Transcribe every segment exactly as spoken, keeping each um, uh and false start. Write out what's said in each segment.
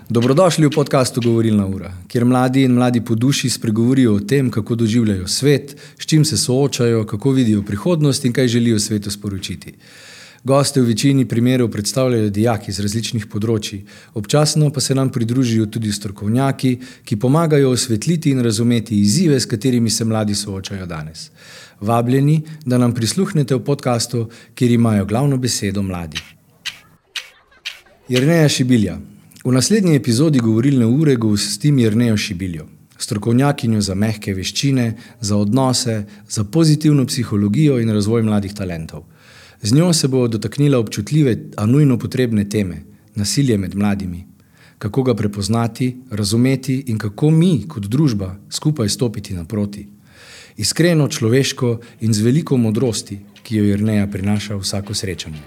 Dobrodošli v podcastu Govorilna ura, kjer mladi in mladi po duši spregovorijo o tem, kako doživljajo svet, s čim se soočajo, kako vidijo prihodnost in kaj želijo svetu sporočiti. Goste v večini primerov predstavljajo dijaki z različnih področji, občasno pa se nam pridružijo tudi strokovnjaki, ki pomagajo osvetliti in razumeti izzive, s katerimi se mladi soočajo danes. Vabljeni, da nam prisluhnete v podcastu, kjer imajo glavno besedo mladi. Jerneja Šibilja. V naslednji epizodi Govorilne ure gostim Jernejo Šibiljo, strokovnjakinjo za mehke veščine, za odnose, za pozitivno psihologijo in razvoj mladih talentov. Z njo se bo dotaknila občutljive, a nujno potrebne teme, nasilje med mladimi. Kako ga prepoznati, razumeti in kako mi, kot družba, skupaj stopiti naproti. Iskreno, človeško in z veliko modrosti, ki jo Jerneja prinaša vsako srečanje.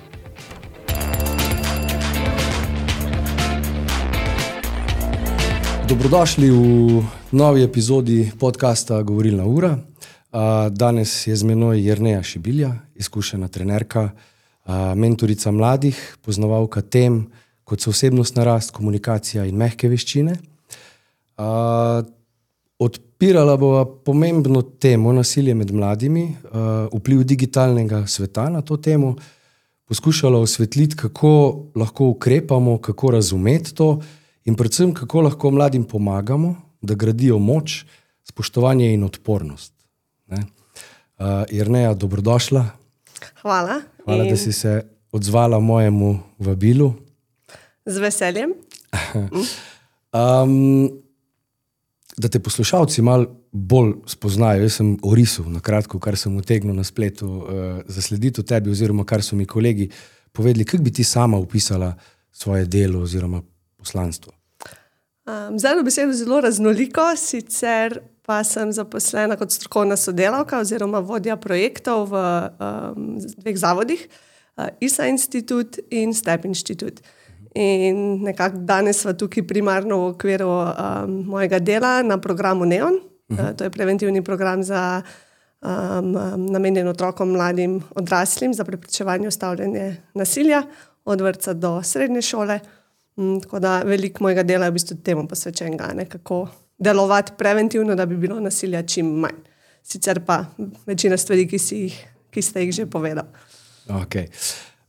Dobrodošli v novi epizodi podcasta Govorilna ura. Danes je z menoj Jerneja Šibilja, izkušena trenerka, mentorica mladih, poznavalka tem, kot so osebnostna rast, komunikacija in mehke veščine. Odpirala bova pomembno temo nasilje med mladimi, vpliv digitalnega sveta na to temo, poskušala osvetliti, kako lahko ukrepamo, kako razumeti to in predvsem, kako lahko mladim pomagamo, da gradijo moč, spoštovanje in odpornost. Ne? Uh, Jerneja, dobrodošla. Hvala. Hvala, in... da si se odzvala mojemu vabilu. Z veseljem. um, da te poslušalci malo bolj spoznajo. Jaz sem orisal na kratko, kar sem utegnil na spletu uh, zaslediti o tebi, oziroma kar so mi kolegi povedali. Kako bi ti sama opisala svoje delo oziroma poslanstvo? Um, z eno besedo zelo raznoliko, sicer pa sem zaposlena kot strokovna sodelavka oziroma vodja projektov v um, dveh zavodih, uh, I S A Institut in STEP Institut. In nekako danes sva tukaj primarno v okviru um, mojega dela na programu NEON. Uh, to je preventivni program za um, um, namenjen otrokom, mladim, odraslim za preprečevanje ustavljanje nasilja od vrtca do srednje šole. Um, tako da veliko mojega dela je v bistvu temu posvečenega, ne, kako delovati preventivno, da bi bilo nasilja čim manj. Sicer pa večina stvari, ki, si jih, ki ste jih že povedal. Okay.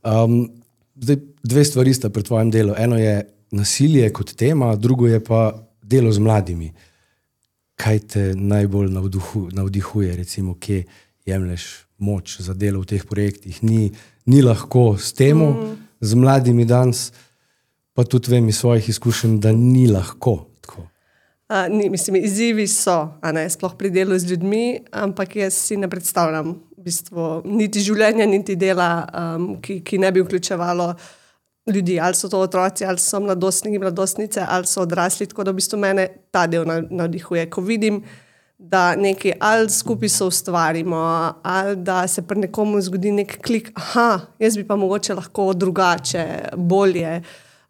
Um, zdaj, dve stvari sta pri tvojem delu. Eno je nasilje kot tema, drugo je pa delo z mladimi. Kaj te najbolj navduhu, navdihuje, recimo, kje jemlješ moč za delo v teh projektih? Ni, ni lahko s temo, mm. z mladimi danes, pa tudi vem iz svojih izkušenj, da ni lahko tako. Uh, ni, mislim, izzivi so, a ne, sploh pri delu z ljudmi, ampak jaz si ne predstavljam v bistvu niti življenja, niti dela, um, ki, ki ne bi vključevalo ljudi, ali so to otroci, ali so mladostniki, mladostnice, ali so odrasli, tako da v bistvu mene ta del navdihuje. Ko vidim, da nekaj ali skupaj so ustvarimo, ali da se pri nekomu zgodi nek klik, aha, jaz bi pa mogoče lahko drugače, bolje,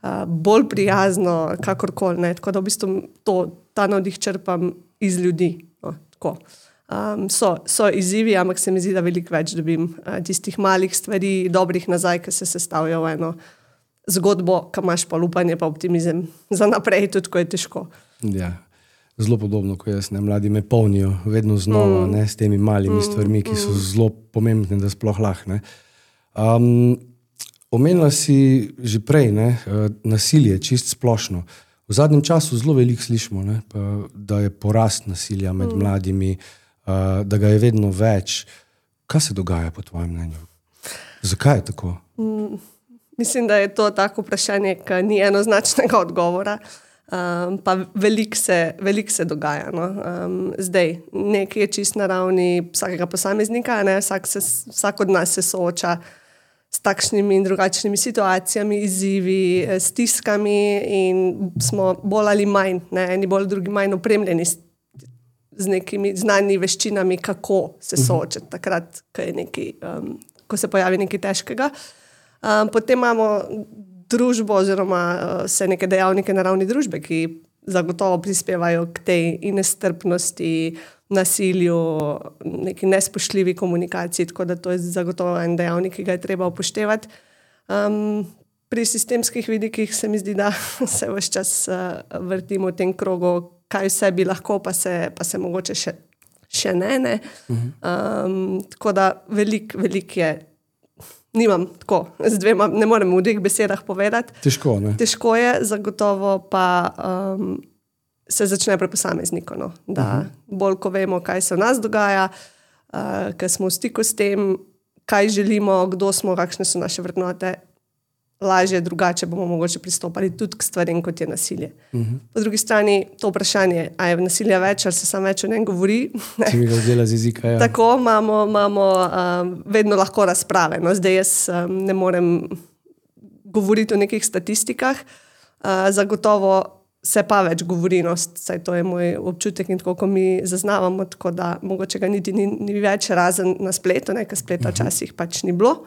Uh, bolj prijazno, kakorkoli, ne. Tako da v bistvu to, ta navdih črpam iz ljudi. No, tako. Um, so, so izzivi, ampak se mi zdi, da veliko več dobim uh, tistih malih stvari, dobrih nazaj, ki se sestavljajo v eno zgodbo, ki imaš pa upanje, pa optimizem za naprej, tudi ko je težko. Ja, zelo podobno, ko jaz, ne, mladi me polnijo vedno znova, mm. ne, s temi malimi mm. stvarmi, ki so zelo pomembne, da sploh lahko, ne. Um, Omenila si že prej, ne, nasilje, čist splošno. V zadnjem času zelo veliko slišimo, ne, da je porast nasilja med mm. mladimi, da ga je vedno več. Kaj se dogaja po tvojem mnenju? Zakaj je tako? Mm, mislim, da je to tako vprašanje, ki ni enoznačnega odgovora, um, pa veliko se, veliko se dogaja. No. Um, zdaj, nekaj je čist na ravni vsakega posameznika, ne, vsak, se, vsak od nas se sooča s takšnimi in drugačnimi situacijami, izzivi, stiskami in smo bolj ali manj, ne, eni bolj, drugi manj opremljeni s, z nekimi znanimi veščinami, kako se soočati takrat, ko, je nekaj, um, ko se pojavi nekaj težkega. Um, potem imamo družbo oziroma uh, vse neke dejavnike na ravni družbe, ki zagotovo prispevajo k tej nestrpnosti, nasilju, neki nespoštljivi komunikaciji, tako da to je zagotovo en dejavnik, ki ga je treba upoštevati. Um, pri sistemskih vidikih se mi zdi, da se vse čas uh, vrtimo v tem krogu, kaj vse bi lahko, pa se, pa se mogoče še, še ne. ne. Um, tako da veliko velik je, nimam tako, z dvema, ne morem v dveh besedah povedati. Težko, ne? Težko je, zagotovo pa um, se začne pri posamezniku. No? Da uh-huh. bolj, ko vemo, kaj se v nas dogaja, uh, ker smo v stiku s tem, kaj želimo, kdo smo, kakšne so naše vrednote, lažje, drugače bomo mogoče pristopali tudi k stvarem, kot je nasilje. Uh-huh. Po drugi strani to vprašanje, a je nasilja več, ali se samo več o njem govori. Se mi ga zdela z jezika, ja. Tako imamo, imamo um, vedno lahko razprave. No, zdaj jaz um, ne morem govoriti o nekih statistikah. Uh, zagotovo se pa več govori, no, saj to je moj občutek in tako, ko mi zaznavamo, tako da mogoče ga niti ni, ni več razen na spletu, ne, ker spleta uh-huh. včasih pač ni bilo.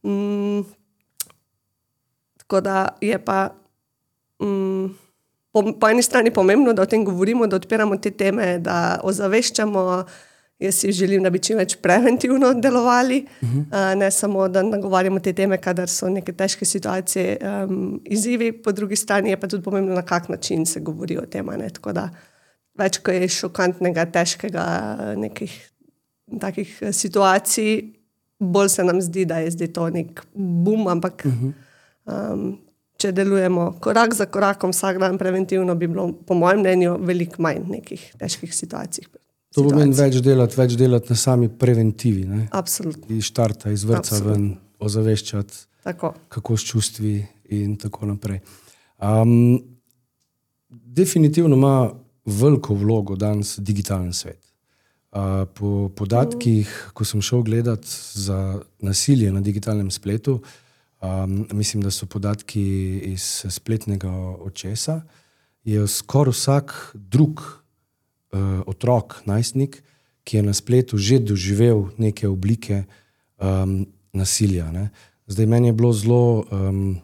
Mm, Tako da je pa um, po, po eni strani pomembno, da o tem govorimo, da odpiramo te teme, da ozaveščamo. Jaz si želim, da bi čim več preventivno delovali, uh-huh. uh, ne samo, da nagovarjamo te teme, kadar so neke težke situacije, um, izzivi. Po drugi strani je pa tudi pomembno, na kak način se govori o tem. Ne? Tako da več, ko je šokantnega, težkega nekih takih situacij, bolj se nam zdi, da je zdaj to nek bum, ampak uh-huh. Um, če delujemo korak za korakom vsak dan preventivno, bi bilo po mojem mnenju veliko manj nekih težkih situacij. To pomeni več delati, več delati na sami preventivi. Ne? Absolutno. Iz štarta, iz vrca ven, ozaveščati, tako. Kako s čustvi in tako naprej. Um, definitivno ima veliko vlogo danes digitalen svet. Uh, po podatkih, mm. ko sem šel gledat za nasilje na digitalnem spletu, Um, mislim, da so podatki iz spletnega očesa, je skoraj vsak drug uh, otrok, najstnik, ki je na spletu že doživel neke oblike um, nasilja. Ne. Zdaj, meni je bilo zelo um,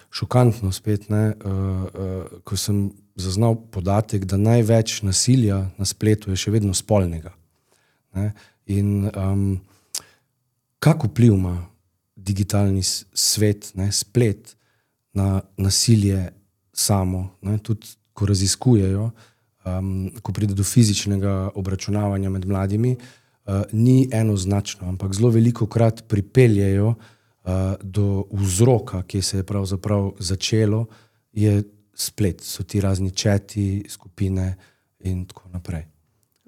šokantno spet, ne, uh, uh, ko sem zaznal podatek, da največ nasilja na spletu je še vedno spolnega. Ne. In um, kak vpliv ima digitalni svet, ne, splet na nasilje samo, ne, tudi ko raziskujejo, um, ko pride do fizičnega obračunavanja med mladimi, uh, ni enoznačno, ampak zelo velikokrat pripeljejo uh, do vzroka, ki se je pravzaprav začelo, je splet, so ti razni četi, skupine in tako naprej.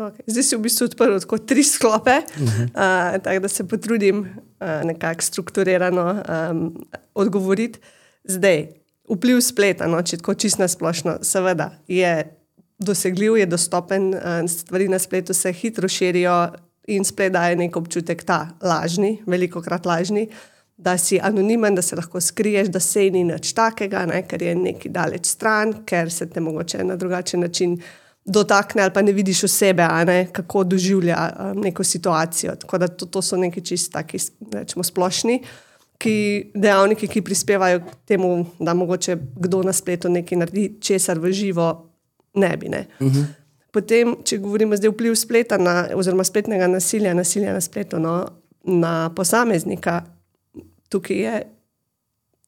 Okay. Zdaj si v bistvu odprl tako tri sklope, uh-huh. uh, tako da se potrudim uh, nekako strukturirano um, odgovoriti. Zdaj, vpliv spleta, no, če tako čisto nasplošno, seveda je dosegljiv, je dostopen, uh, stvari na spletu se hitro širijo in splet daje nek občutek ta lažni, velikokrat lažni, da si anonimen, da se lahko skriješ, da sej ni nič takega, ne, ker je neki daleč stran, ker se te mogoče na drugačen način dotakne ali pa ne vidiš osebe, a ne, kako doživlja um, neko situacijo. Tako da to, to so neki čisto taki, rečemo, splošni ki, dejavniki, ki prispevajo k temu, da mogoče kdo na spletu nekaj naredi, česar v živo ne bi. Ne. Uh-huh. Potem, če govorimo zdaj vpliv spleta na, oziroma spletnega nasilja, nasilja na spletu, no, na posameznika, tukaj je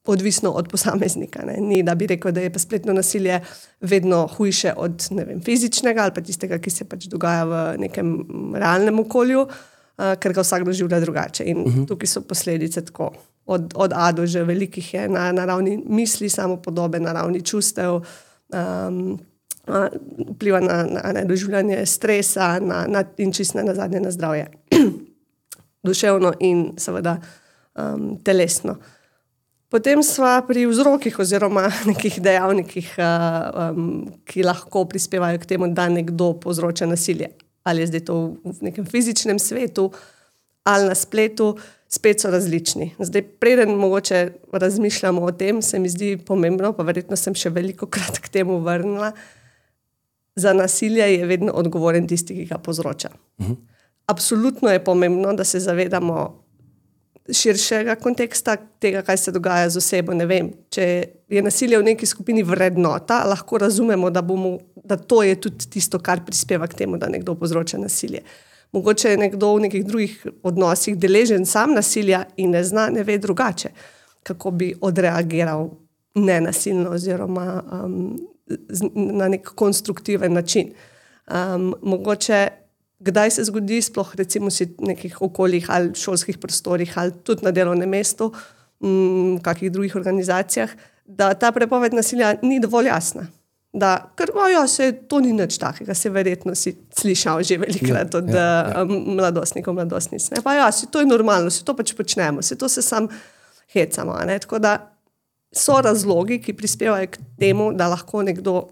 odvisno od posameznika. Ne. Ni, da bi rekel, da je pa spletno nasilje vedno hujše od, ne vem, fizičnega ali pa tistega, ki se pač dogaja v nekem realnem okolju, uh, ker ga vsak doživlja drugače. In uh-huh. tukaj so posledice tako od, od A do Ž, velikih je na, na ravni misli, samopodobe, na ravni čustev, um, uh, vpliva na, na, na doživljanje stresa na, na, in čisto na zadnje na zdravje. Duševno in seveda um, telesno. Potem sva pri vzrokih oziroma nekih dejavnikih, um, ki lahko prispevajo k temu, da nekdo povzroča nasilje. Ali je zdaj to v nekem fizičnem svetu ali na spletu, spet so različni. Zdaj, preden mogoče razmišljamo o tem, se mi zdi pomembno, pa verjetno sem še veliko krat k temu vrnila, za nasilje je vedno odgovoren tisti, ki ga povzroča. Uh-huh. Absolutno je pomembno, da se zavedamo širšega konteksta tega, kaj se dogaja z osebo. Ne vem, če je nasilje v neki skupini vrednota, lahko razumemo, da, bomo, da to je tudi tisto, kar prispeva k temu, da nekdo povzroča nasilje. Mogoče je nekdo v nekih drugih odnosih deležen sam nasilja in ne zna, ne ve drugače. kako bi odreagiral nenasilno oziroma um, z, na nek konstruktiven način. Um, mogoče, kdaj se zgodi, sploh recimo si v nekih okoljih ali šolskih prostorih ali tudi na delovnem mestu, v kakih drugih organizacijah, da ta prepoved nasilja ni dovolj jasna. Da, ker ja, se, to ni nič takega, se verjetno si slišal že velikrat od ja, ja, ja. mladostnikov, mladostnic. Ne? Pa ja, si to je normalno, si to pač počnemo, si to se sam hecamo. Ne? Tako da so razlogi, ki prispevajo k temu, da lahko nekdo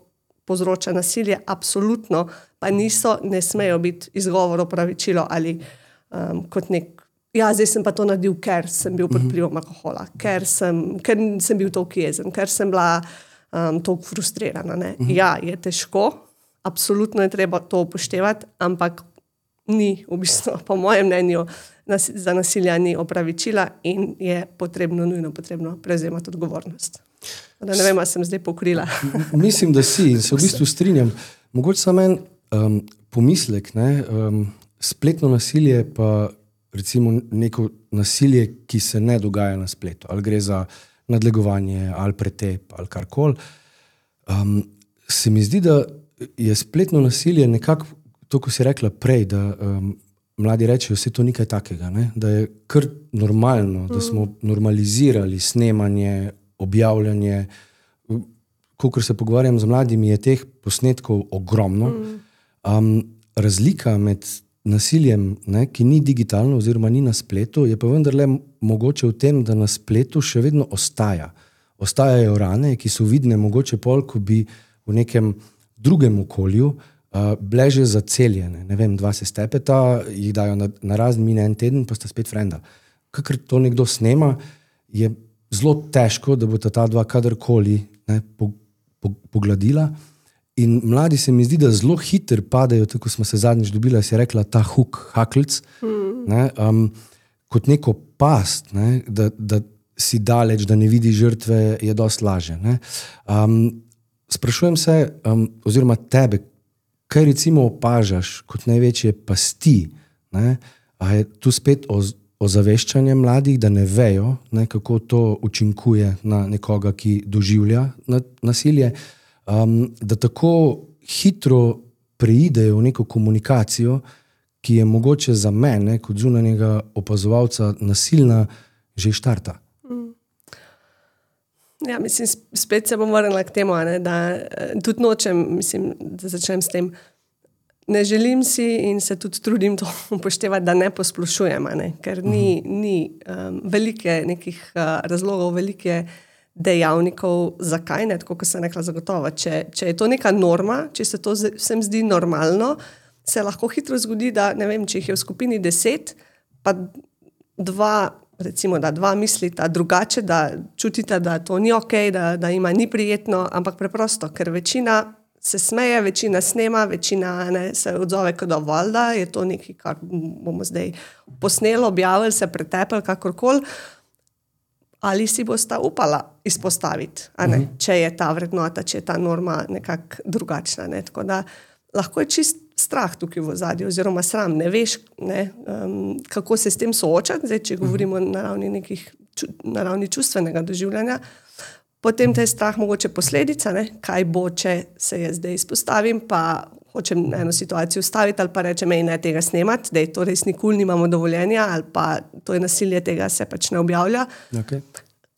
povzroča nasilje, absolutno, pa niso, ne smejo biti izgovor, opravičilo ali um, kot nek, ja, zdaj sem pa to naredil, ker sem bil pod vplivom alkohola, ker sem, ker sem bil toliko jezen, ker sem bila um, toliko frustrirana. Ne? Uh-huh. Ja, je težko, absolutno je treba to upoštevati, ampak ni, v bistvu, po mojem mnenju, nas, za nasilja ni opravičila in je potrebno, nujno potrebno prevzemati odgovornost. Da ne vem, ali sem zdaj pokrila. Mislim, da si in se v bistvu strinjam. Mogoče samo en um, pomislek, ne? Um, spletno nasilje pa recimo neko nasilje, ki se ne dogaja na spletu, ali gre za nadlegovanje, ali pretep, ali karkoli. Um, se mi zdi, da je spletno nasilje nekako, to, ko si rekla prej, da um, mladi rečejo, vse to nekaj takega, ne? Da je kar normalno, da smo normalizirali snemanje, objavljanje. Kakor se pogovarjam z mladimi, je teh posnetkov ogromno. Um, razlika med nasiljem, ne, ki ni digitalno oziroma ni na spletu, je pa vendarle mogoče v tem, da na spletu še vedno ostaja. Ostajajo rane, ki so vidne mogoče pol, ko bi v nekem drugem okolju uh, bile že zaceljene. Ne vem, dva se stepeta, jih dajo na, na razen, mine en teden, pa sta spet frenda. Kakor to nekdo snema, je zelo težko, da bo ta dva kadarkoli ne, po, po, pogladila. In mladi se mi zdi, da zelo hitro padajo, tako smo se zadnjič dobila, si rekla, ta huk, haklc, mm. ne, um, kot neko past, ne, da, da si daleč, da ne vidi žrtve, je dosti laže. Ne. Um, sprašujem se, um, oziroma tebe, kaj recimo opažaš kot največje pasti, ne, a je tu spet o, ozaveščanje mladih, da ne vejo, ne, kako to učinkuje na nekoga, ki doživlja nasilje, Um, da tako hitro preidejo v neko komunikacijo, ki je mogoče za mene, kot zunanjega opazovalca, nasilna, že štarta. Mm. Ja, mislim, spet se bom vrnila k temu, ne, da tudi nočem, mislim, da začnem s tem, ne želim si in se tudi trudim to upoštevati, da ne posplošujem, ne, ker ni, uh-huh. ni um, velike nekih uh, razlogov, velike dejavnikov, zakaj ne, tako kot sem rekla zagotovo. Če, če je to neka norma, če se to vsem zdi normalno, se lahko hitro zgodi, da ne vem, če jih je v skupini deset, pa dva, recimo, da dva mislita drugače, da čutita, da to ni okej, da, da ima ni prijetno, ampak preprosto, ker večina se smeje, večina snema, večina ne, se odzove kot dovolj, da je to nekaj, kar bomo zdaj posneli, objavili, se pretepili, kakorkoli. Ali si bosta upala izpostaviti, a ne, uh-huh. če je ta vrednota, če je ta norma nekako drugačna. Ne. Tako da lahko je čist strah tukaj v ozadju, oziroma sram, ne veš, ne, um, kako se s tem soočati, zdaj, če govorimo uh-huh. na ravni nekih, na ravni čustvenega doživljanja, potem te je strah mogoče posledica, ne, kaj bo, če se je zdaj izpostavim, pa hočem eno situacijo ustaviti ali pa rečem, ej, ne tega snemati, da je to res nikul, nimamo dovoljenja ali pa to je nasilje, tega se pač ne objavlja. Okay.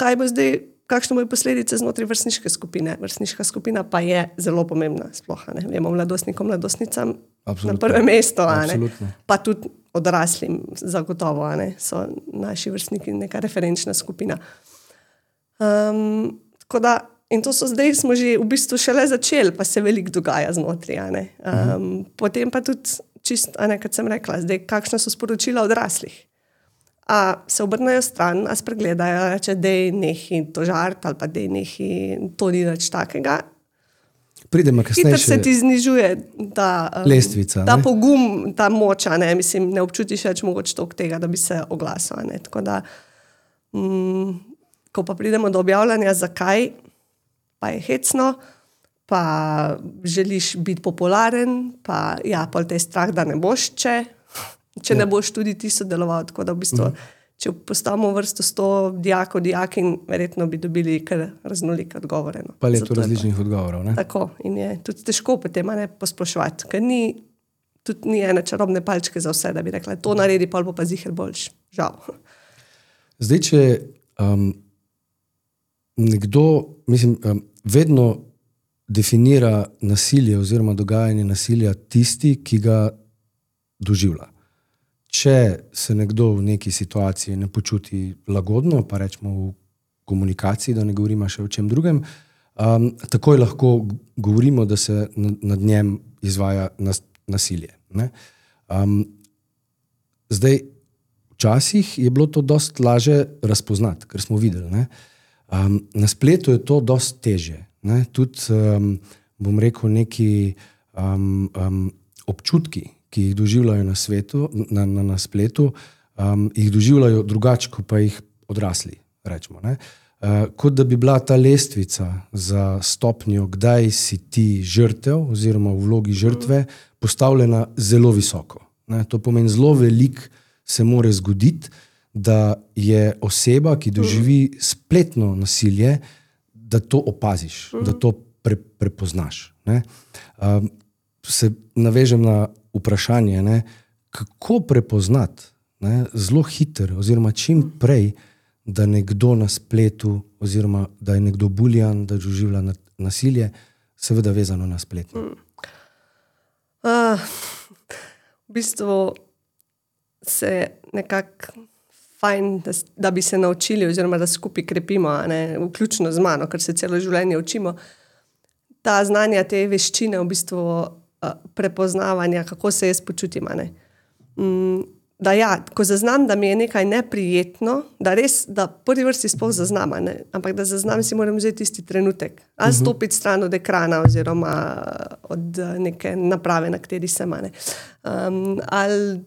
Kaj bo zdaj, kakšne bojo posledice znotraj vrstniške skupine? Vrstniška skupina pa je zelo pomembna, sploh, ne, vemo, mladostnikom, mladostnicam Absolutno. Na prvem mestu, a ne, pa tudi odraslim zagotovo, a ne, so naši vrstniki neka referenčna skupina. Um, tako da In to so zdaj, smo že v bistvu šele začeli, pa se veliko dogaja znotraj. Um, uh-huh. Potem pa tudi, čist, a ne, kot sem rekla, zdaj, kakšna so sporočila odraslih. A se obrnejo stran, a spregledajo, reče, dej nehi to žart, ali pa dej nehi, to ni nič takega. Pridemo kasneje. Hitro se ti znižuje ta, um, lestvica, ta pogum, ta moč, ne, mislim, ne občutiš več mogoče toliko tega, da bi se oglasil. Ne. Tako da, um, ko pa pridemo do objavljanja, zakaj, pa je hecno, pa želiš biti popularen, pa ja, pol te je strah, da ne boš, če, če ja. ne boš tudi ti sodeloval. Tako da v bistvu, če postavimo vrsto sto dijakov, dijakin, verjetno bi dobili kar raznolike odgovore. No. Paleto različnih odgovorov. Ne? Tako, in je tudi težko potem ne posploševati, ker ni, tudi ni ene čarobne palčke za vse, da bi rekla, to naredi, pol bo pa ziher boljš. Žal. Zdaj, če um, nekdo, mislim, um, vedno definira nasilje oziroma dogajanje nasilja tisti, ki ga doživlja. Če se nekdo v neki situaciji ne počuti lagodno, pa rečemo v komunikaciji, da ne govorimo še o čem drugem, um, takoj lahko govorimo, da se nad njem izvaja nas, nasilje. Ne? Um, zdaj, včasih je bilo to dost laže razpoznati, ker smo videli. Ne? Um, na spletu je to dost težje. Ne? Tudi, um, bom rekel, neki um, um, občutki, ki jih doživljajo na svetu, na, na, na spletu, um, jih doživljajo drugače, kot pa jih odrasli, rečemo. Ne? Uh, kot da bi bila ta lestvica za stopnjo, kdaj si ti žrtev oziroma v vlogi žrtve, postavljena zelo visoko. Ne? To pomeni, zelo veliko se more zgoditi, da je oseba, ki doživi spletno nasilje, da to opaziš, da to pre, prepoznaš. Ne? Um, se navežem na vprašanje, ne, kako prepoznati ne, zelo hiter oziroma čim prej, da nekdo na spletu oziroma da je nekdo buljan, da doživlja nasilje, seveda vezano na spletno. Mm. Uh, v bistvu se nekako fajn, da, da bi se naučili oziroma da skupaj krepimo, ne, vključno z mano, ker se celo življenje učimo. Ta znanja, te veščine v bistvu prepoznavanja, kako se jaz počutim. Mm, da ja, ko zaznam, da mi je nekaj neprijetno, da res, da prvi vrsti sploh zaznam, ne? Ampak da zaznam, si moram vzeti tisti trenutek. Ali stopiti stran od ekrana oziroma od neke naprave, na kateri sem. Um, ali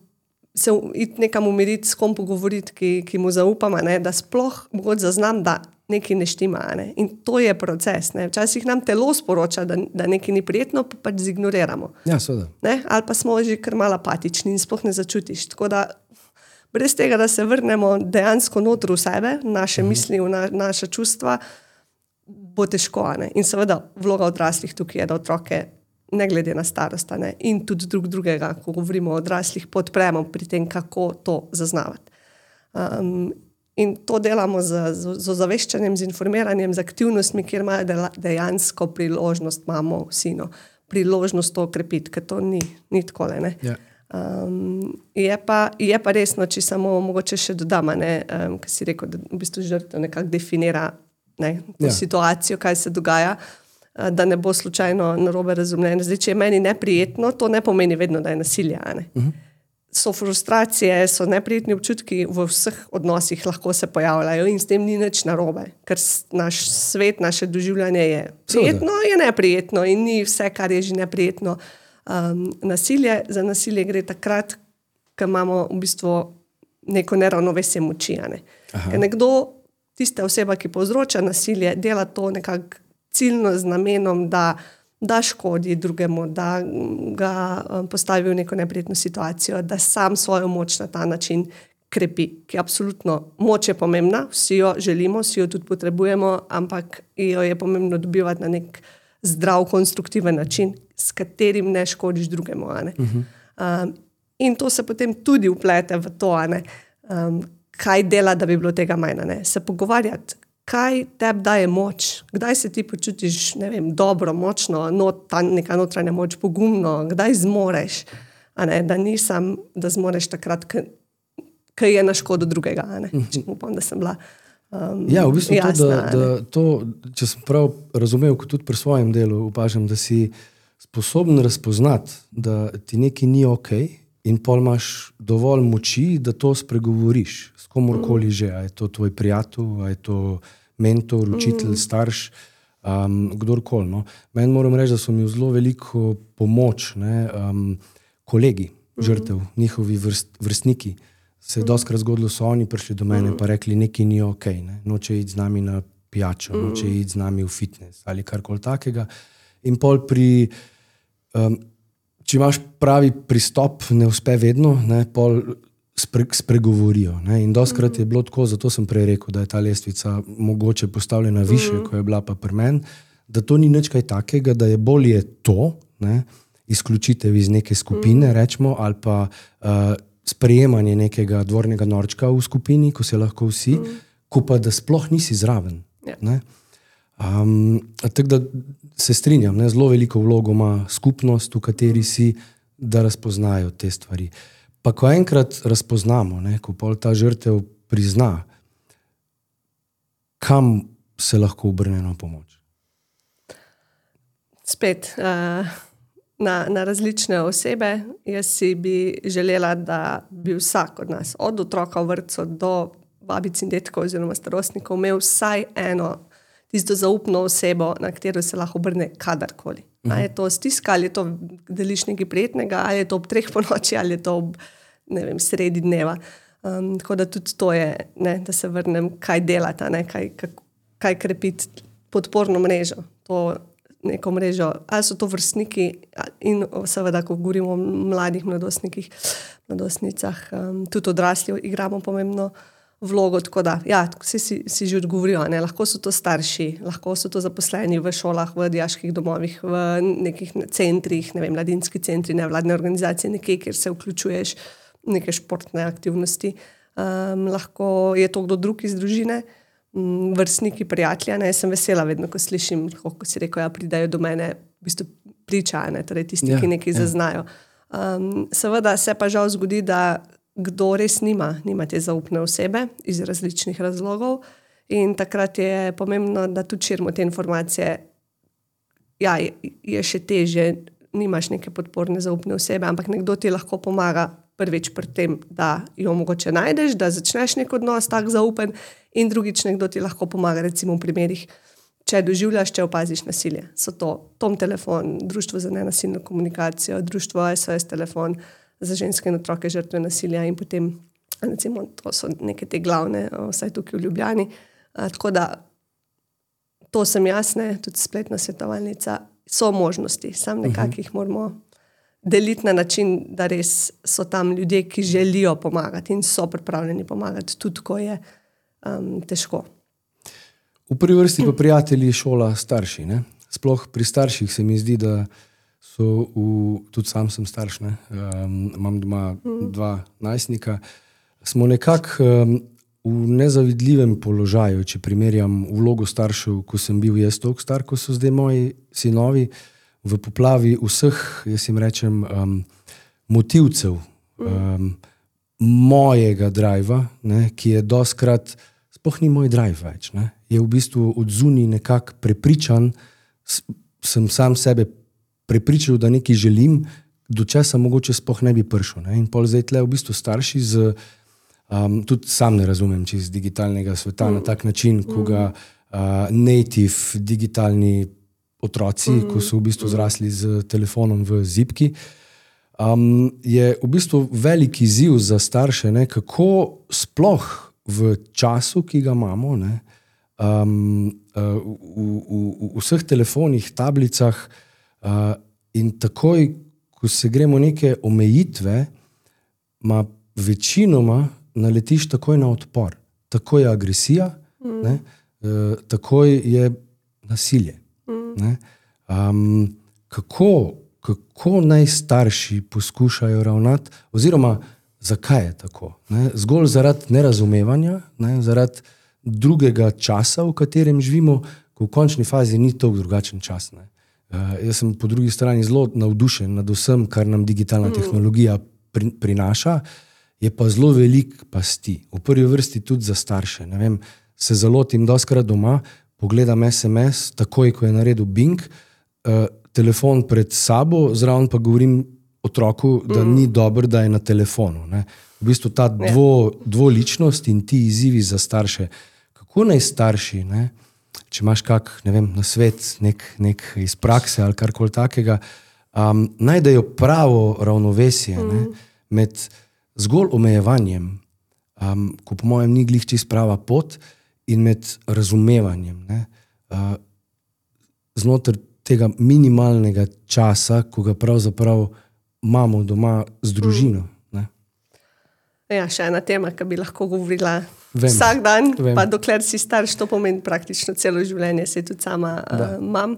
se iti nekam umiriti, s kom pogovoriti, ki, ki mu zaupam, ne? Da sploh mogoče zaznam, da nekaj ne štima. Ne? In to je proces. Ne? Včasih nam telo sporoča, da, da nekaj ni prijetno, pa pač zignoriramo. Ja, seveda. Ne? Ali pa smo že kar malo apatični in sploh ne začutiš. Tako da brez tega, da se vrnemo dejansko notri v sebe, naše uh-huh. misli, v na, naša čustva, bo težko. Ne? In seveda vloga odraslih tukaj je, da otroke ne glede na starost ne? In tudi drug drugega, ko govorimo o odraslih, podpremo pri tem, kako to zaznavati. Um, In to delamo z, z, z ozaveščanjem, z informiranjem, z aktivnostmi, kjer imajo dejansko priložnost, imamo vsi, no, priložnost to okrepiti, ker to ni, ni takole. Ne. Ja. Um, je, pa, je pa resno, če samo mogoče še dodam, um, ker si rekel, da v bistvu žrtev nekako definira ne, to ja. situacijo, kaj se dogaja, uh, da ne bo slučajno narobe razumljeno. Zdaj, če je meni neprijetno, to ne pomeni vedno, da je nasilje. Ne. Uh-huh. So frustracije, so neprijetni občutki v vseh odnosih lahko se pojavljajo in s tem ni nič narobe, ker naš svet, naše doživljanje je prijetno, je neprijetno in ni vse, kar je že neprijetno. Um, nasilje, za nasilje gre takrat, ko imamo v bistvu neko neravnovesje moči. Ne? Ker nekdo, tista oseba, ki povzroča nasilje, dela to nekako ciljno z namenom, da da škodi drugemu, da ga postavi v neko neprijetno situacijo, da sam svojo moč na ta način krepi, ki je absolutno, moč je pomembna, vsi jo želimo, vsi jo tudi potrebujemo, ampak jo je pomembno dobivati na nek zdrav, konstruktiven način, s katerim ne škodiš drugemu. Ne? Uh-huh. Um, in to se potem tudi vplete v to, ne? Um, kaj dela, da bi bilo tega manj, ne? Se pogovarjati, kaj tebi daje moč, kdaj se ti počutiš, ne vem, dobro, močno, not, ta neka notranja moč, pogumno, kdaj zmoreš, a ne, da nisem, da zmoreš takrat, ko je na škodo drugega, a ne, če upam, da sem bila um, ja, v bistvu jasna, to, da, da to, če sem prav razumel, kot tudi pri svojem delu upažam, da si sposoben razpoznati, da ti nekaj ni okej in pol imaš dovolj moči, da to spregovoriš s komorkoli že, a je to tvoj prijatelj, a je to mentor, učitelj, mm. starš, um, kdorkoli. No. Meni moram reči, da so mi v zelo veliko pomoč ne, um, kolegi, žrtev, mm. njihovi vrst, vrstniki. Se je mm. doskrat zgodilo, so oni prišli do mene mm. pa rekli, nekaj ni okej, ne. Noče iti z nami na pijačo, mm. noče iti z nami v fitness ali karkoli takega. In pol pri, um, če imaš pravi pristop, ne uspe vedno, ne, pol spre, spregovorijo. Ne? In doskrat mm-hmm. je bilo tako, zato sem prej rekel, da je ta lestvica mogoče postavljena više, mm-hmm. ko je bila pa pri meni, da to ni nič kaj takega, da je bolje to, ne? Izključitev iz neke skupine, mm-hmm. rečemo, ali pa uh, sprejemanje nekega dvornega norčka v skupini, ko se lahko vsi, mm. ko pa da sploh nisi zraven. Ja. Ne? Um, tako da se strinjam, ne? Zelo veliko vlogo ima skupnost, v kateri si, da razpoznajo te stvari. Pa ko enkrat razpoznamo, ne? Ko pol ta žrtev prizna, kam se lahko obrne na pomoč? Spet, uh... Na, na različne osebe. Jaz si bi želela, da bi vsak od nas, od otroka v vrtcu do babic in detkov oziroma starostnikov, imel vsaj eno tisto zaupno osebo, na katero se lahko obrne kadarkoli. Uh-huh. Ali je to stiska, ali je to deliš nekaj prijetnega, ali je to ob treh ponoči, ali je to ob, ne vem, sredi dneva. Um, tako da tudi to je, ne, da se vrnem, kaj delata, ne, kaj, kaj, kaj krepiti podporno mrežo. To neko mrežo, ali so to vrstniki in seveda, ko govorimo o mladih mladostnikih, mladostnicah, um, tudi odrasli igramo pomembno vlogo, tako da, ja, vsi si, si že odgovorijo, ne, lahko so to starši, lahko so to zaposleni v šolah, v dijaških domovih, v nekih centrih, ne vem, mladinski centri, nevladne organizacije, nekje, kjer se vključuješ neke športne aktivnosti. Um, lahko je to kdo drug iz družine, vrstniki, prijatelja, ne, sem vesela vedno, ko slišim, ko si rekel, ja, pridajo do mene, v bistvu pričajo, ne, torej tisti, ja, ki nekaj ja. zaznajo. Um, seveda se pa žal zgodi, da kdo res nima, nima te zaupne osebe iz različnih razlogov in takrat je pomembno, da tudi širimo te informacije. Ja, je, je še teže, nimaš neke podporne zaupne osebe, ampak nekdo ti lahko pomaga prvič pri tem, da jo mogoče najdeš, da začneš nek odnos tak zaupen in drugič nekdo ti lahko pomaga, recimo v primerih, če doživljaš, če opaziš nasilje. So to Tom telefon, Društvo za nenasilno komunikacijo, Društvo S O S telefon za ženske in otroke žrtve nasilja in potem, recimo, to so neke te glavne, vsaj tukaj v Ljubljani. A, tako da to sem jasne, tudi spletna svetovalnica, so možnosti, sam nekako jih moramo deliti na način, da res so tam ljudje, ki želijo pomagati in so pripravljeni pomagati, tudi ko je um, težko. V prvi vrsti pa prijatelji, šola, starši. Ne? Sploh pri starših se mi zdi, da so, v, tudi sam sem starš, ne? Um, imam doma mm. dva najstnika, smo nekako um, v nezavidljivem položaju, če primerjam vlogo staršev, ko sem bil jaz toliko star, ko so zdaj moji sinovi, v poplavi vseh, jaz jim rečem, um, motivcev um, mojega drajva, ne, ki je doskrat, sploh ni moj drajv več, ne, je v bistvu od zunaj nekako prepričan, sem sam sebe prepričal, da nekaj želim, do česa mogoče sploh ne bi prišel. Ne, in pol zdaj tle v bistvu starši z, um, tudi sam ne razumem čez digitalnega sveta mm. na tak način, ko ga uh, native digitalni otroci, mm. ko so v bistvu zrasli z telefonom v zipki, um, je v bistvu velik izziv za starše, ne, kako sploh v času, ki ga imamo, ne, um, uh, v, v, v vseh telefonih, tablicah uh, in takoj, ko se gremo neke omejitve, ma večinoma naletiš takoj na odpor. Takoj je agresija, mm. ne, uh, takoj je nasilje. Ne? Um, kako, kako naj starši poskušajo ravnati, oziroma zakaj je tako? Ne? Zgolj zaradi nerazumevanja, ne? Zaradi drugega časa, v katerem živimo, ko v končni fazi ni to drugačen čas. Ne? Uh, jaz sem po drugi strani zelo navdušen nad vsem, kar nam digitalna mm. tehnologija pri, prinaša, je pa zelo velik pasti. V prvi vrsti tudi za starše. Ne vem, se zalotim doskrat doma, pogledam es em es, takoj, ko je naredil Bing, uh, telefon pred sabo, zraven pa govorim otroku, da mm. ni dobro, da je na telefonu. Ne. V bistvu ta dvo, dvoličnost in ti izzivi za starše. Kako naj starši, ne, če imaš kak, ne vem, nasvet, nek, nek iz prakse ali karkoli takega, um, najdejo pravo ravnovesje mm. ne, med zgolj omejevanjem, um, ko po mojem ni glih čist prava pot, in med razumevanjem, ne, uh, znotraj tega minimalnega časa, ko ga pravzaprav imamo doma z družino. Ne. Ja, še ena tema, ki bi lahko govorila Vem. vsak dan, Vem. pa dokler si starš, to pomeni praktično celo življenje, se tudi sama uh, imam,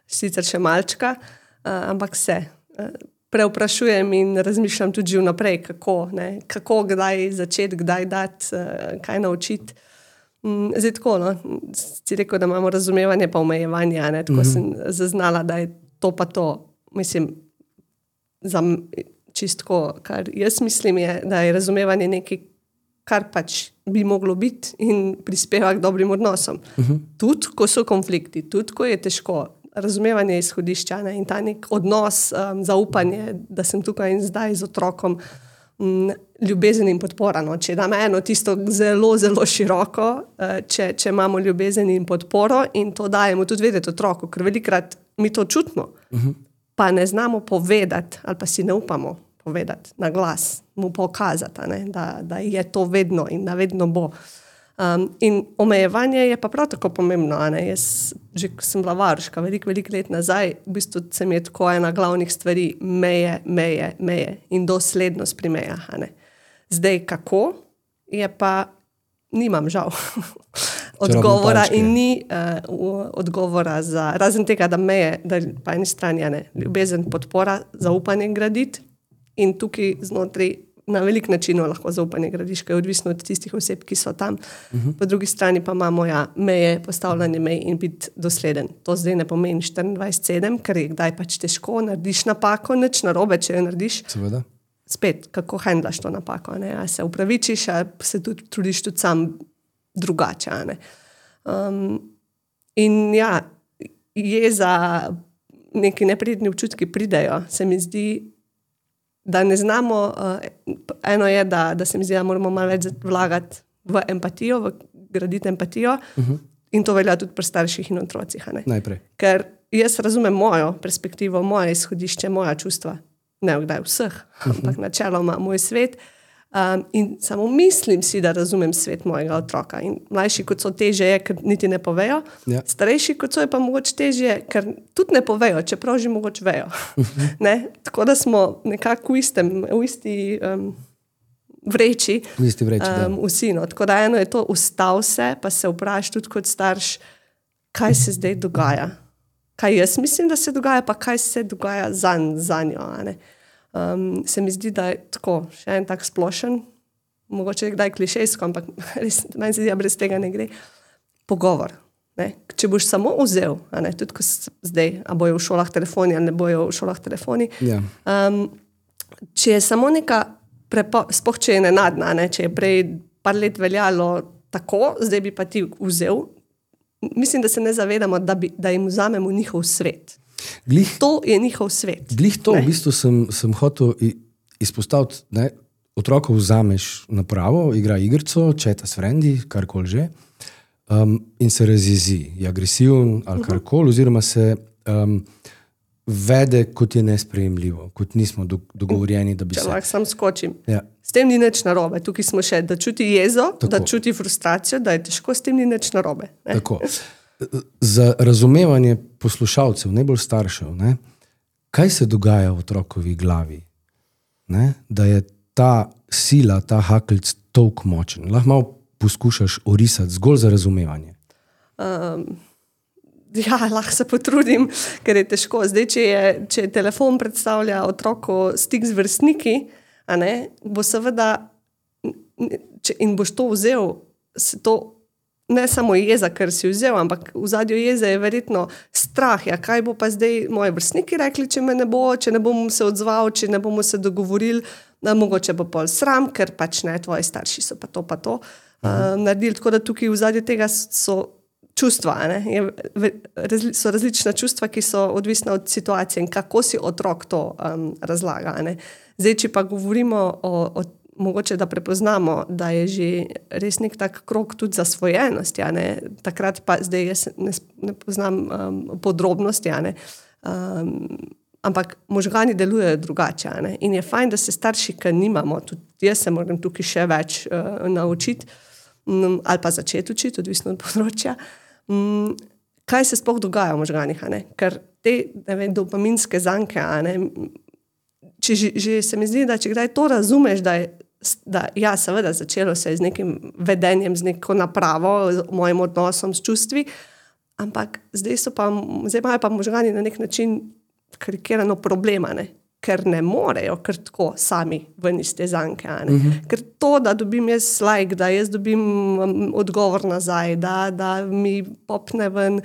sicer še malčka, uh, ampak se uh, preoprašujem in razmišljam tudi že vnaprej, kako, ne, kako, kdaj začeti, kdaj dati, uh, kaj naučiti. Um, zdaj tako, no, si rekel, da imamo razumevanje pa omejevanje, ne, tako mm-hmm. sem zaznala, da je to pa to, mislim, za čistko, kar jaz mislim, je, da je razumevanje nekaj, kar pač bi moglo biti in prispeva k dobrim odnosom. Uh-huh. Tudi, ko so konflikti, tudi, ko je težko, razumevanje je izhodišča, ne? In ta nek odnos, um, zaupanje, da sem tukaj in zdaj z otrokom, um, ljubezen in podpora. No? Če dam eno tisto zelo, zelo široko, uh, če, če imamo ljubezen in podporo in to dajemo tudi vedeti otroku, ker velikrat mi to čutimo, uh-huh. pa ne znamo povedati ali pa si ne upamo povedati na glas, mu pokazati, ne, da, da je to vedno in da vedno bo. Um, in omejevanje je pa prav tako pomembno. Ne. Jaz, že ko sem bila varuška, veliko, veliko let nazaj, v bistvu se mi je tako ena glavnih stvari meje, meje, meje in doslednost pri mejah. Ne. Zdaj kako, je pa nimam žal odgovora in ni uh, odgovora za, razen tega, da meje, da pa eni strani, ne, ljubezen, podpora, zaupanje graditi. In tukaj znotraj na velik način lahko zaupanje gradiš, ker je odvisno od tistih oseb, ki so tam. Uh-huh. Po drugi strani pa imamo ja, meje, postavljanje mej in biti dosleden. To zdaj ne pomeni štiriindvajset sedem, ker je kdaj pač težko, narediš napako, nič narobe, če jo narediš. Seveda. Spet, kako handlaš to napako. Ne? A se upravičiš, a se tudi trudiš tudi sam drugače. Ne? Um, in ja, jeza, neki neprijetni občutki pridejo, se mi zdi, da ne znamo, uh, eno je, da, da se mi zdi, da moramo malo več vlagati v empatijo, v graditi empatijo uh-huh. in to velja tudi pri starših in otrocih. Najprej. Ker jaz razumem mojo perspektivo, moje izhodišče, moja čustva, ne vkdaj vseh, uh-huh. ampak načeloma moj svet um, in samo mislim si, da razumem svet mojega otroka in mlajši kot so teže je, ker niti ne povejo, ja. Starejši kot so je pa mogoče težje, ker tudi ne povejo, čeprav že mogoče vejo. Uh-huh. Ne? Tako da smo nekako v istem, v isti um, vreči, v isti vreči um, vsi. No. Tako da eno je to, ustav se, pa se vpraš tudi kot starš, kaj se zdaj dogaja. Kaj jaz mislim, da se dogaja, pa kaj se dogaja za, za njo, a ne. Um, se mi zdi, da je tako, še en tak splošen, mogoče je kdaj klišejsko, ampak res, meni se zdi, da brez tega ne gre, pogovor. Ne? Če boš samo vzel, a ne, tudi ko zdaj, a bojo v šolah telefoni, ali ne bojo v šolah telefoni, yeah. um, če je samo neka, prepo, spoh če je nenadna, ne? Če je prej par let veljalo tako, zdaj bi pa ti vzel, mislim, da se ne zavedamo, da, bi, da jim vzamemo njihov svet. Glih, to je njihov svet. Glih to, ne? V bistvu sem, sem hotel izpostaviti, ne, otroka vzameš napravo, igra igrico, četa s frendi, karkoli že, um, in se razjezi, je agresiven ali karkoli, oziroma se um, vede, kot je nesprejemljivo, kot nismo do, dogovorjeni, da bi Če se... Če lahko sam skočim. Ja. S tem ni nič narobe. Tukaj smo še, da čuti jezo, tako. Da čuti frustracijo, da je težko, s tem ni nič narobe. Ne? Tako. Za razumevanje poslušalcev, najbolj staršev, ne, kaj se dogaja v otrokovi glavi, ne, da je ta sila, ta hakeljc toliko močen. Lahko malo poskušaš orisati zgolj za razumevanje. Um, ja, lahko se potrudim, ker je težko. Zdaj, če, je, če telefon predstavlja otroku stik z vrstniki, a ne, bo seveda, če, in boš to vzel, se to ne samo jeza, ker si vzel, ampak v zadju jeze je verjetno strah. Ja, kaj bo pa zdaj moji vrstniki rekli, če me ne bo, če ne bom se odzval, če ne bomo se dogovorili, da mogoče bo pol sram, ker pač ne, tvoji starši so pa to, pa to uh, naredili. Tako da tukaj v zadju tega so čustva, ne? Je, razli, so različna čustva, ki so odvisna od situacije in kako si otrok to um, razlaga. Ne? Zdaj, če pa govorimo o, o mogoče, da prepoznamo, da je že res nek tak krog tudi zasvojenosti, ja, ne? Takrat pa zdaj jaz ne, ne poznam um, podrobnosti, ja, ne? Um, ampak možgani delujejo drugače, ja, ne? In je fajn, da se starši, ker nimamo, tudi jaz se moram tukaj še več uh, naučiti um, ali pa začeti učiti, odvisno od področja, um, kaj se sploh dogaja v možganih, ja, ne? Ker te ne vem, dopaminske zanke, ja, ne? Če že, že se mi zdi, da če kdaj to razumeš, da je da ja, seveda začelo se je z nekim vedenjem, z neko napravo, z mojim odnosom s čustvi, ampak zdaj, so pa, zdaj imajo pa možgani na nek način karikirano problema, ne? Ker ne morejo kar tako sami ven iz te zanke. Uh-huh. Ker to, da dobim jaz like, da jaz dobim um, odgovor nazaj, da, da mi popne ven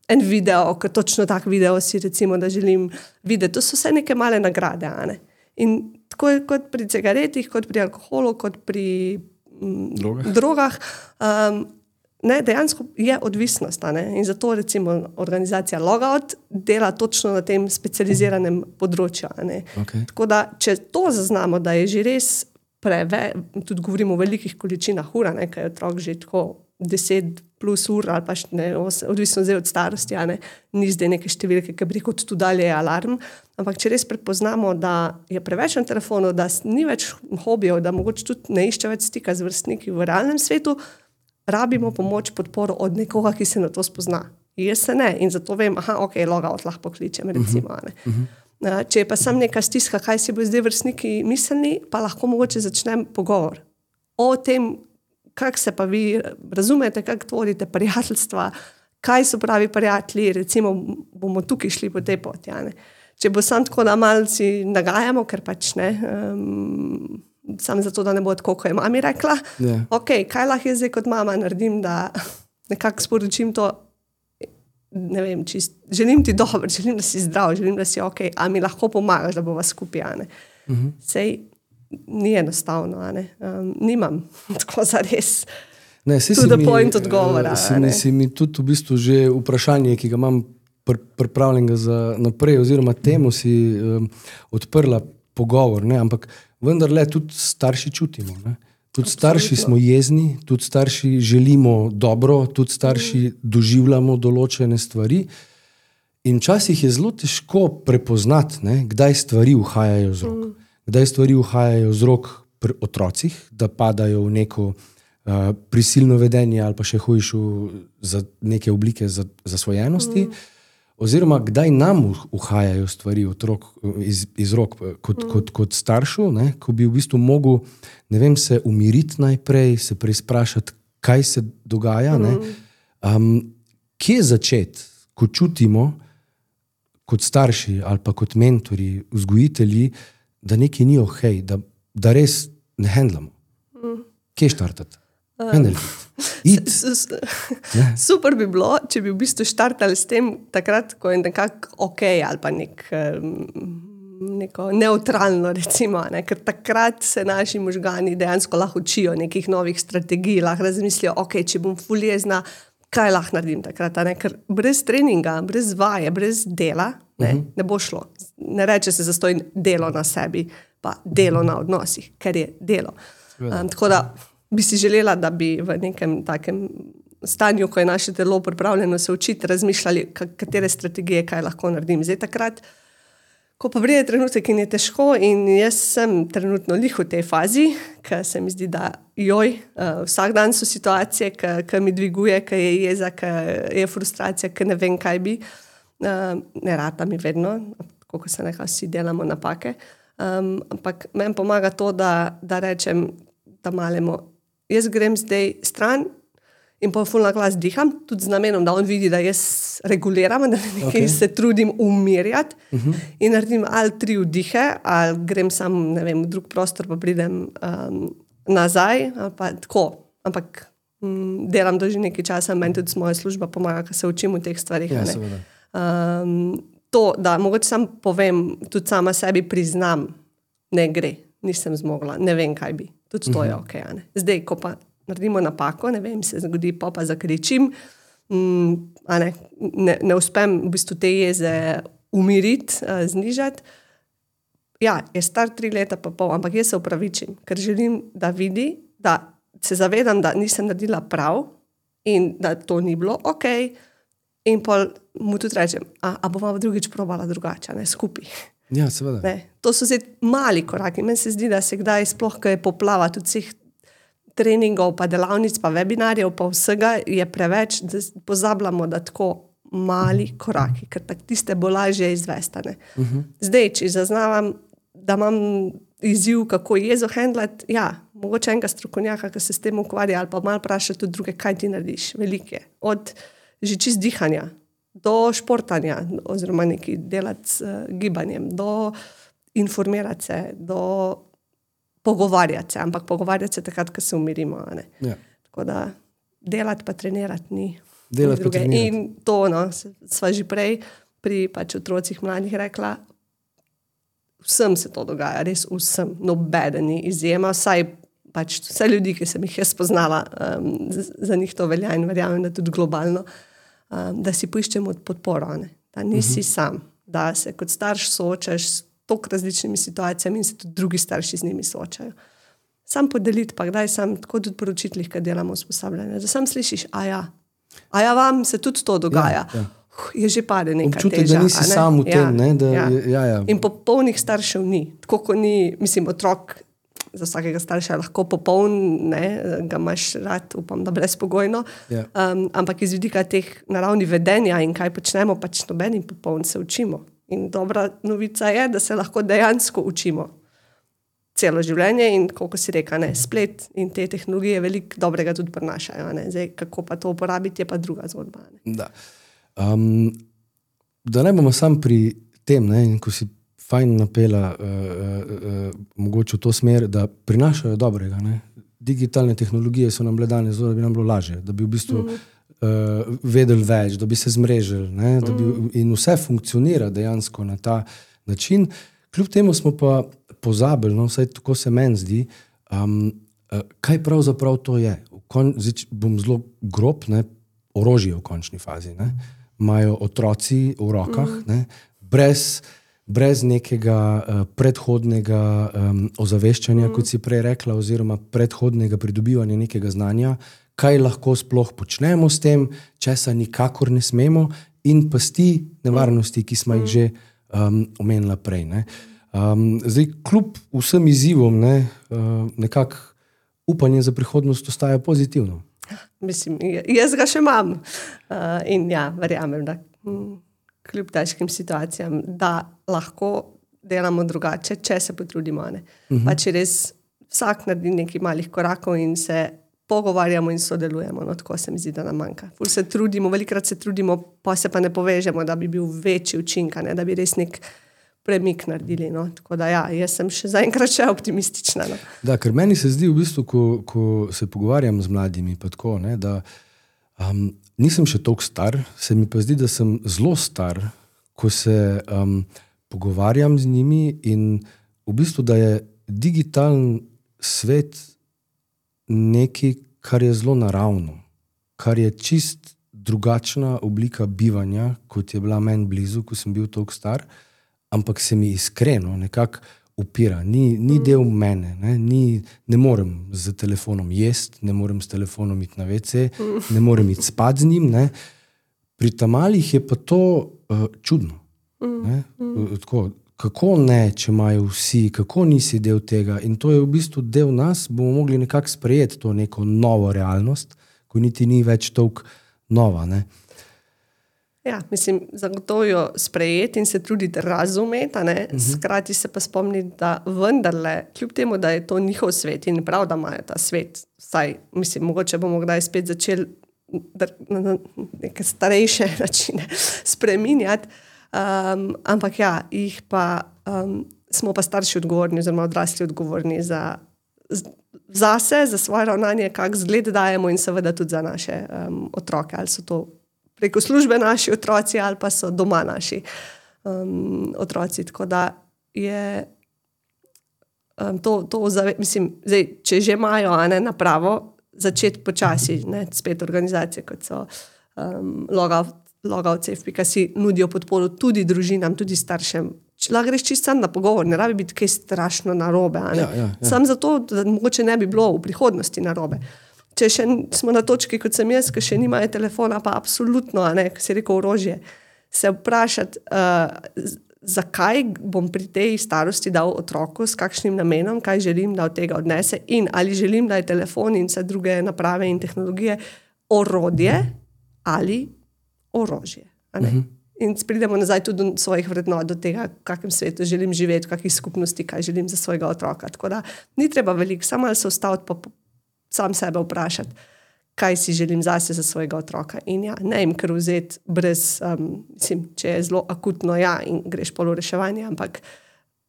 en video, ker točno tak video si recimo, da želim videti. To so vse neke male nagrade. Ne? In tako je kot pri cigaretih, kot pri alkoholu, kot pri mm, drogah, drogah um, ne, dejansko je odvisnost. Ne? In zato recimo organizacija Logout dela točno na tem specializiranem področju. Ne? Okay. Tako da, če to zaznamo, da je že res preve, tudi govorimo o velikih količinah ura, ne, kaj je otrok že tako deset plus ur ali pa ne, odvisno zdaj od starosti, ne, ni zdaj neke številke, ki bi rekel, tu dalje je alarm, ampak če res prepoznamo, da je preveč na telefonu, da ni več hobijev, da mogoče tudi ne išče več stika z vrstniki v realnem svetu, rabimo pomoč, podporo od nekoga, ki se na to spozna. Jaz se ne in zato vem, aha, ok, Logout lahko pokličem, recimo. Ne. Uh-huh. Če je pa sam neka stiska, kaj si bo zdaj vrstniki mislili, pa lahko mogoče začnem pogovor o tem, kako se pa vi razumete, kako tvorite prijateljstva, kaj so pravi prijatelji, recimo bomo tukaj šli po tej poti. Ja, če bo sam tako, da malci nagajamo, ker pač ne, um, sam zato, da ne bo tako, ko je mami rekla, yeah. ok, kaj lahko jaz zdaj kot mama naredim, da nekako sporočim to, ne vem, čist, želim ti dobro, želim, da si zdrav, želim, da si ok, a mi lahko pomagaš, da bova skupaj, a ne. Uh-huh. Sej, ni enostavno, a ne. Um, nimam tako zares ne, to the mi, point odgovora. Si mi, si mi tudi v bistvu že vprašanje, ki ga imam pr- pripravljenega za naprej, oziroma temu si um, odprla pogovor, ne, ampak vendarle tudi starši čutimo, ne. Tudi starši smo jezni, tudi starši želimo dobro, tudi starši mm. doživljamo določene stvari in včasih je zelo težko prepoznati, ne, kdaj stvari uhajajo z rok. Mm. Kdaj stvari uhajajo z rok pri otrocih, da padajo v neko uh, prisilno vedenje ali pa še hujšu za neke oblike zasvojenosti, mm. oziroma kdaj nam uhajajo stvari otrok iz, iz rok kot, mm. kot, kot staršu, ne, ko bi v bistvu mogel, ne vem, se umiriti najprej, se preizprašati, kaj se dogaja. Mm. Ne. Um, kje začeti, ko čutimo kot starši ali pa kot mentori, vzgojitelji, da nekaj ni okej, da, da res ne handlamo. Mm. Kje štartati? Um, super bi bilo, če bi v bistvu štartali s tem takrat, ko je nekako okej ali pa nek, neko neutralno, recimo, ne? Ker takrat se naši možgani dejansko lahko učijo nekih novih strategij, lahko razmislijo, ok, če bom ful jezna, kaj lahko naredim takrat, ne? Ker brez treninga, brez vaje, brez dela ne, uh-huh. ne bo šlo. Ne reče se zastoj delo na sebi, pa delo na odnosih, ker je delo. Um, tako da bi si želela, da bi v nekem takem stanju, ko je naše telo pripravljeno se učiti, razmišljali, katere strategije, kaj lahko naredim. Zdaj takrat, ko pa pride trenutek in je težko in jaz sem trenutno lih v tej fazi, ker se mi zdi, da joj, uh, vsak dan so situacije, ki mi dviguje, ki je jeza, ki je frustracija, ki ne vem, kaj bi. Uh, ne rata mi vedno, kako se nekaj vsi delamo napake, um, ampak meni pomaga to, da, da rečem, da malemo, jaz grem zdaj stran in pa ful na glas diham, tudi z namenom, da on vidi, da jaz reguliram, da nekaj okay. se trudim umirjati uh-huh. in naredim ali tri vdihe, ali grem sam, ne vem, v drug prostor, pa pridem um, nazaj, ali pa tako, ampak um, delam to že nekaj časa, meni tudi moja služba pomaga, ker se učim v teh stvarih. Ja, ne. Um, to, da mogoče sam povem, tudi sama sebi priznam, ne gre, nisem zmogla, ne vem, kaj bi. Tudi to je uh-huh. ok. Ne? Zdaj, ko pa naredimo napako, ne vem, se zgodi, pa pa zakričim, um, a ne, ne, ne uspem v bistvu te jeze umiriti, uh, znižati. Ja, je star tri leta pa pol, ampak jaz se upravičim, ker želim, da vidi, da se zavedam, da nisem naredila prav in da to ni bilo ok. In pol mu tudi rečem, a, a bova drugič probala drugače, ne, skupaj. Ja, seveda. Ne, to so zdaj mali koraki. Meni se zdi, da se kdaj sploh, ko je poplava tudi vseh treningov, pa delavnic, pa webinarjev, pa vsega je preveč, da pozabljamo, da tako mali koraki, ker tak tiste bo lažje izvestane. Uh-huh. Zdaj, če zaznavam, da imam izziv, kako jezo handlati, ja, mogoče enega strokovnjaka, ki se s tem ukvarja, ali pa malo vprašati tudi druge, kaj ti narediš, velike. Od že čist dihanja, do športanja, oziroma nekaj delati s uh, gibanjem, do informirati se, do pogovarjati se, ampak pogovarjati se takrat, ko se umirimo. Ne? Ja. Tako da delati pa trenirati ni. Delati pa trenirati. In to, no, sva že prej pri pač otrocih mladih rekla, vsem se to dogaja, res vsem, nobeden ni izjema, vsaj pač vse ljudi, ki sem jih jaz spoznala, um, za njih to velja in verjamem, da tudi globalno, um, da si poiščemo podporo, ne? Da nisi uh-huh. sam, da se kot starš soočaš s toliko različnimi situacijami in se tudi drugi starši z njimi soočajo. Sam podeliti, pa kdaj sam, tako tudi po učiteljih, kad delamo usposabljanje, da sam slišiš, a ja, a ja, vam se tudi to dogaja. Ja, ja. Je že pade neka občutek, teža. Da nisi ne? sam v tem. Ja, ne, da, ja. Ja, ja. In popolnih staršev ni. Tako, ko ni, mislim, otrok za vsakega starša je lahko popoln, ne, ga imaš rad, upam, da brezpogojno. Ja. Um, ampak iz vidika teh naravnih vedenja in kaj počnemo, pač nobenim popoln se učimo. In dobra novica je, da se lahko dejansko učimo celo življenje in, kako si reka, ne, splet in te tehnologije veliko dobrega tudi prinašajo. Ne. Zdaj, kako pa to uporabiti, je pa druga zgodba. Ne. Da. Um, da ne bomo sam pri tem, ne, in ko si fajn napela uh, uh, uh, mogoče v to smer, da prinašajo dobrega. Ne. Digitalne tehnologije so nam bile danes, da bi nam bilo lažje, da bi v bistvu mm. uh, vedeli več, da bi se zmrežili, ne, da bi, mm. in vse funkcionira dejansko na ta način. Kljub temu smo pa pozabili, no, vsaj tako se meni zdi, um, uh, kaj pravzaprav to je. Kon, zdaj, bom zelo grob, ne, orožje v končni fazi. Ne. Imajo otroci v rokah, mm. ne, brez, brez nekega uh, predhodnega um, ozaveščanja, mm. kot si prej rekla, oziroma predhodnega pridobivanja nekega znanja, kaj lahko sploh počnemo s tem, česa nikakor ne smemo, in pasti nevarnosti, ki smo jih že um, omenila prej. Ne. Um, zdaj, kljub vsem izzivom, ne, uh, nekako upanje za prihodnost ostaja pozitivno. Mislim, jaz ga še imam. Uh, in ja, verjamem, da hm, kljub težkim situacijam, da lahko delamo drugače, če se potrudimo. Ne. Uh-huh. Pa če res vsak naredi nekaj malih korakov in se pogovarjamo in sodelujemo, no, tako se mi zdi, da nam manjka. Ful se trudimo, velikrat se trudimo, pa se pa ne povežemo, da bi bil večji učinka, ne, da bi res nek premik naredili. No. Tako da ja, jaz sem še zaenkrat še optimistična. No. Da, ker meni se zdi v bistvu, ko, ko se pogovarjam z mladimi, pa tako, ne, da um, nisem še toliko star, se mi pa zdi, da sem zelo star, ko se um, pogovarjam z njimi in v bistvu, da je digitalen svet nekaj, kar je zelo naravno, kar je čist drugačna oblika bivanja, kot je bila meni blizu, ko sem bil toliko star, ampak se mi iskreno nekako upira. Ni, ni del mene. Ne, ni, ne morem z telefonom jesti, ne morem s telefonom iti na ve ce, ne morem iti spat z njim. Ne. Pri tamalih je pa to uh, čudno. Ne. Tako, kako ne, če imajo vsi, kako nisi del tega. In to je v bistvu del nas, bomo mogli nekako sprejeti to neko novo realnost, ko niti ni več toliko nova. Ne. Ja, mislim, zagotovo jo sprejeti in se truditi razumeti, ne? Uh-huh. Skrati se pa spomniti, da vendarle, kljub temu, da je to njihov svet in prav, da imajo ta svet, vsaj, mislim, mogoče bomo kdaj spet začeli na neke starejše načine spreminjati, um, ampak ja, jih pa, um, smo pa starši odgovorni, oziroma odrasli odgovorni za, zase, za svoje ravnanje, kak zgled dajemo in seveda tudi za naše um, otroke, ali so to preko službe naši otroci ali pa so doma naši um, otroci. Tako da je um, to, to zave, mislim, zdaj, če že imajo ne, napravo, začeti počasi, ne, spet organizacije, kot so um, Logout Safe pika si nudijo podporo tudi družinam, tudi staršem. Lahko greš čisto sam na pogovor, ne rabi biti kaj strašno narobe. Ja, ja, ja. Sam zato, da mogoče ne bi bilo v prihodnosti narobe. Če še smo na točki, kot sem jaz, ki še nimajo telefona, pa absolutno, ne, ko si rekel orožje, se vprašati, uh, zakaj bom pri tej starosti dal otroku, s kakšnim namenom, kaj želim, da od tega odnese in ali želim, da je telefon in vse druge naprave in tehnologije orodje ali orožje. A ne? Uh-huh. In pridemo nazaj tudi do svojih vrednot, do tega, v kakšnem svetu želim živeti, v kakšni skupnosti, kaj želim za svojega otroka. Tako da ni treba veliko, samo malo se ustaviti pa sam sebe vprašati, kaj si želim zase za svojega otroka. In ja, ne jim kar vzeti brez, um, mislim, če je zelo akutno, ja, in greš polo reševanje, ampak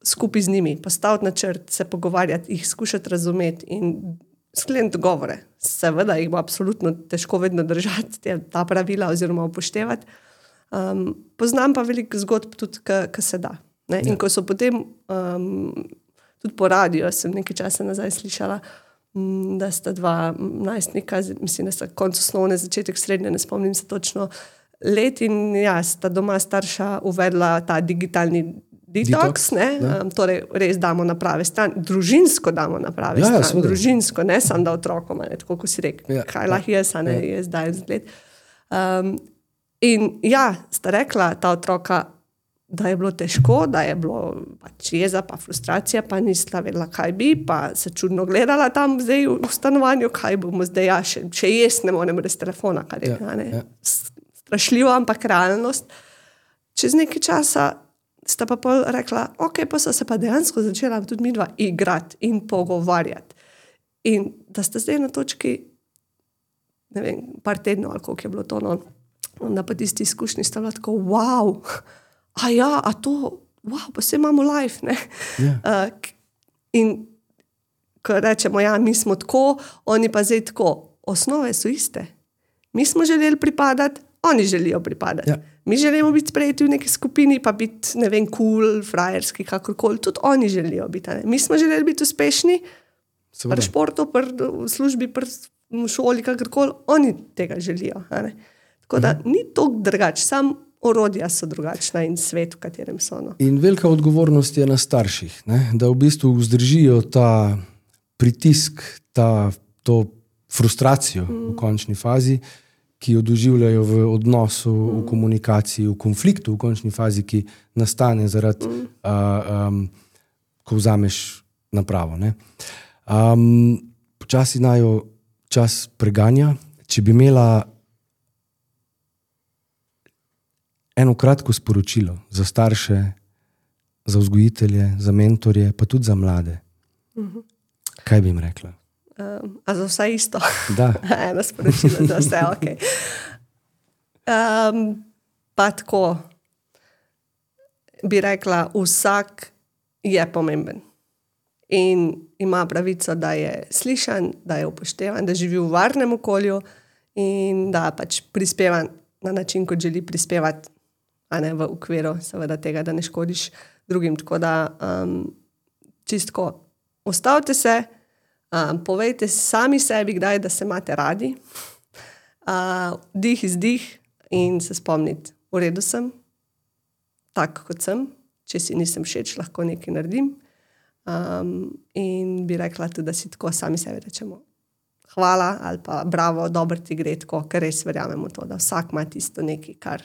skupaj z njimi, postaviti načrt, se pogovarjati, jih skušati razumeti in skleniti dogovore. Seveda jih bo absolutno težko vedno držati, ta pravila oziroma upoštevati. Um, poznam pa veliko zgodb tudi, ki se da. Ne? In ko so potem um, tudi po radiju, sem nekaj časa nazaj slišala, um, da sta dva najstnika, mislim, da sta konc osnovne, začetek srednje, ne spomnim se točno let in ja, sta doma starša uvedla ta digitalni detox, ne? Um, torej res damo na prave stran, družinsko damo na prave ja, stran, ja, družinsko, ne samo da otrokom, ne, tako ko si rekel, ja, kaj lahko jaz, a ne, ja. Jaz dajem zgled. Um, in ja, sta rekla ta otroka, da je bilo težko, da je bilo pač jeza, pa frustracija, pa nista vedela, kaj bi, pa se čudno gledala tam zdaj v stanovanju, kaj bomo zdaj, ja, še, še jaz ne morem brez telefona, kar je, ja, ne, ja. Strašljivo, ampak realnost. Čez nekaj časa sta pa pol rekla, ok, pa so se pa dejansko začela tudi midva igrati in pogovarjati. In da sta zdaj na točki, ne vem, par tednov, ali koliko je bilo to, no, na pa tisti izkušnji sta bila tako, wow, a ja, a to, wow, pa se imamo life, ne. Yeah. Uh, in ko rečemo, ja, mi smo tako, oni pa zdaj tako, osnove so iste. Mi smo želeli pripadati, oni želijo pripadati. Yeah. Mi želimo biti sprejeti v neki skupini, pa biti, ne vem, cool, frajerski, kakorkoli. Tudi oni želijo biti. Ne? Mi smo želeli biti uspešni pri športu, pri službi, pri šoli, kakorkoli. Oni tega želijo. Ne? Tako da ni toliko drugače, samo orodja so drugačna in svet, v katerem so. No. In velika odgovornost je na starših, ne? Da v bistvu vzdržijo ta pritisk, ta, to frustracijo mm. v končni fazi, ki jo doživljajo v odnosu, mm. v komunikaciji, v konfliktu, v končni fazi, ki nastane zaradi, mm. uh, um, ko vzameš napravo. Ne? Um, počasi najo čas preganja. Če bi imela eno kratko sporočilo za starše, za vzgojitelje, za mentorje, pa tudi za mlade, mm-hmm. kaj bi jim rekla? Um, a za vse isto? Da. Eno sporočilo za vse, ok. Um, pa tako bi rekla, vsak je pomemben in ima pravico, da je slišan, da je upoštevan, da živi v varnem okolju in da pač prispeva na način, kot želi prispevati, a ne v okviru seveda tega, da ne škodiš drugim. Tako da um, čistko, ustavite se, Um, povejte sami sebi, kdaj, da se imate radi, uh, dih izdih in se spomniti, v redu sem, tak kot sem, če si nisem všeč, lahko nekaj naredim. Um, in bi rekla tudi, da si tako sami sebi rečemo hvala ali pa bravo, dobro ti gre tako, ker res verjamemo to, da vsak ima tisto nekaj, kar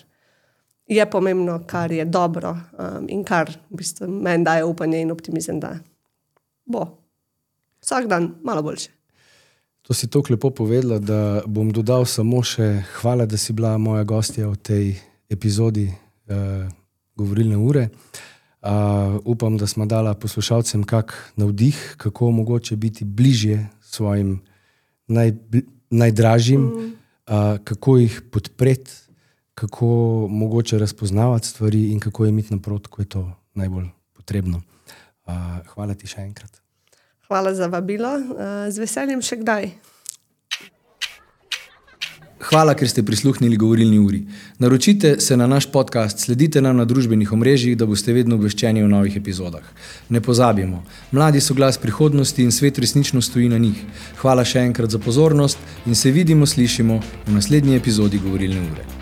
je pomembno, kar je dobro um, in kar v bistvu meni daje upanje in optimizem, da bo vsak dan malo boljše. To si toliko lepo povedala, da bom dodal samo še hvala, da si bila moja gostja v tej epizodi uh, Govorilne ure. Uh, upam, da smo dala poslušalcem kak navdih, kako mogoče biti bližje svojim naj, najdražjim, mm. uh, kako jih podpreti, kako mogoče razpoznavati stvari in kako je imeti naprot, ko je to najbolj potrebno. Uh, hvala ti še enkrat. Hvala za vabilo. Z veseljem še kdaj. Hvala, ker ste prisluhnili Govorilni uri. Naročite se na naš podcast, sledite nam na družbenih omrežjih, da boste vedno obveščeni o novih epizodah. Ne pozabimo, mladi so glas prihodnosti in svet resnično stoji na njih. Hvala še enkrat za pozornost in se vidimo, slišimo v naslednji epizodi Govorilne ure.